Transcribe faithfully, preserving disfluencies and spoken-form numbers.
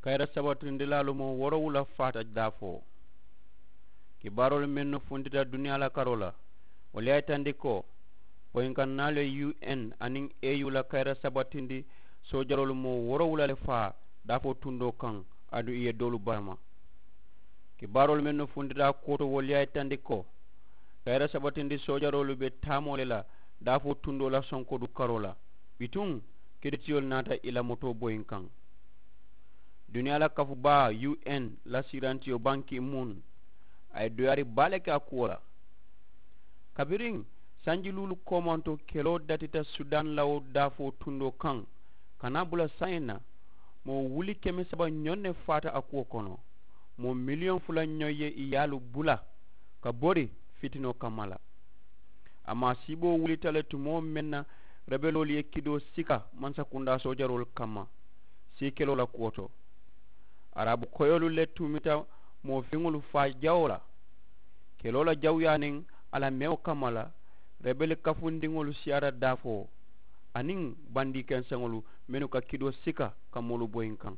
Kayira sabatindilaalu moo woorowula faata daafoo. Kibaaroolu mennu funtita duniyaa la karoo la, wolu ye a yitandi ko boyinkaŋ naalu ye u n aniŋ e u la kayira sabatindi soojaroolu moo woorowula le faa daafoo tundoo kaŋ, aduŋ ì ye doolu barama. Kibaaroolu mennu funtita a kuwo to wolu ye a yitandi ko kayira sabatindi soojaroolu be taamoo le la daafoo tundoo la sonkodu karoo la. Bituŋ kiritiyolu naata ì la motoo boyinkaŋ. Duniyaa la kafu baa u n la siirantiyo banki muŋ a ye doyaari baa le ke a kuwo la. Kabiriŋ sanji luulu koomanto keloo datita sudan lawo daafoo tundoo kaŋ ka naa bula saayiŋ na, moo wuli keme saba ñoŋ ne faata a kuwo kono. Moo miliyoŋ fula ñoŋ ye ì yaalu bula ka bori fitinoo kamma la. A maasiiboo wulita le tumoo meŋ na rebeloolu ye kidoo sika mansakundaa soojaroolu kamma sii keloo la kuwo to. Araabu koyoolu le tumita moo fiŋolu faa jawoo la keloo la jawuyaa niŋ a la mewo kamma la. Rebeli kafundiŋolu siyaata daafoo aniŋ bandii kenseŋolu mennu ka kidoo sika ka moolu boyinkaŋ.